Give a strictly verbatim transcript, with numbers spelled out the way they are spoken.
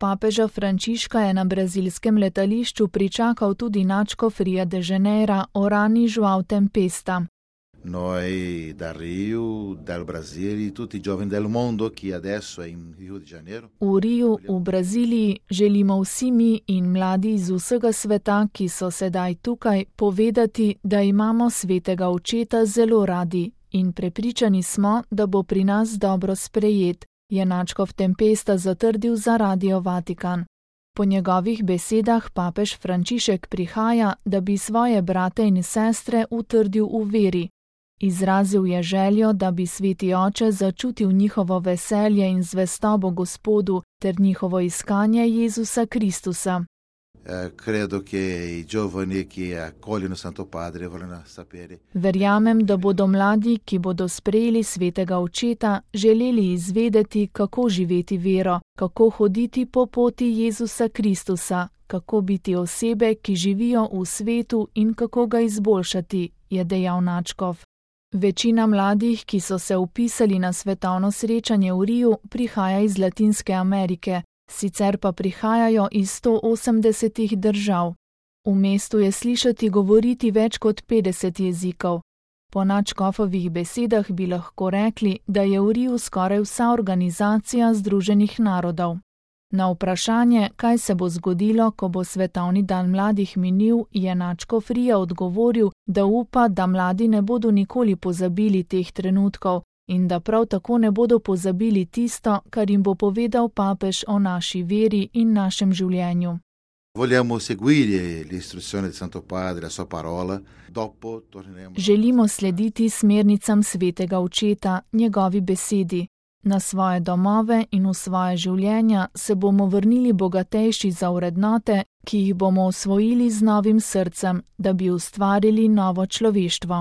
Papeža Frančiška je na brazilskem letališču pričakal tudi nadškof Ria de Janeira Orani João Tempesta. Noi da Rio, dal Brasile, tutti i giovani del mondo che adesso è in Rio de Janeiro. V Riju, v Braziliji, želimo vsi mi in mladi iz vsega sveta, ki so sedaj tukaj, povedati, da imamo svetega očeta zelo radi in prepričani smo, da bo pri nas dobro sprejet, je nadškof Tempesta zatrdil za Radio Vatikan. Po njegovih besedah papež Frančišek prihaja, da bi svoje brate in sestre utrdil v veri. Izrazil je željo, da bi sveti oče začutil njihovo veselje in zvestobo Gospodu ter njihovo iskanje Jezusa Kristusa. Credo che i giovani che accogliono Santo Padre vogliono sapere. Verjamem, da bodo mladi, ki bodo sprejeli svetega očeta, želeli izvedeti, kako živeti vero, kako hoditi po poti Jezusa Kristusa, kako biti osebe, ki živijo v svetu in kako ga izboljšati, je dejal nadškof. Večina mladih, ki so se vpisali na svetovno srečanje v Riju, prihaja iz Latinske Amerike, sicer pa prihajajo iz sto osemdesetih držav. V mestu je slišati govoriti več kot petdeset jezikov. Po nadškofovih besedah bi lahko rekli, da je v Riju skoraj vsa organizacija Združenih narodov. Na vprašanje, kaj se bo zgodilo, ko bo svetovni dan mladih minil, je nadškof Rija odgovoril, da upa, da mladi ne bodo nikoli pozabili teh trenutkov in da prav tako ne bodo pozabili tisto, kar jim bo povedal papež o naši veri in našem življenju. Vogliamo seguire l'istruzione di Santo Padre, la sua parola, dopo torneremo. Želimo slediti smernicam svetega očeta, njegovi besedi. Na svoje domove in v svoje življenja se bomo vrnili bogatejši za vrednote, ki jih bomo osvojili z novim srcem, da bi ustvarili novo človeštvo.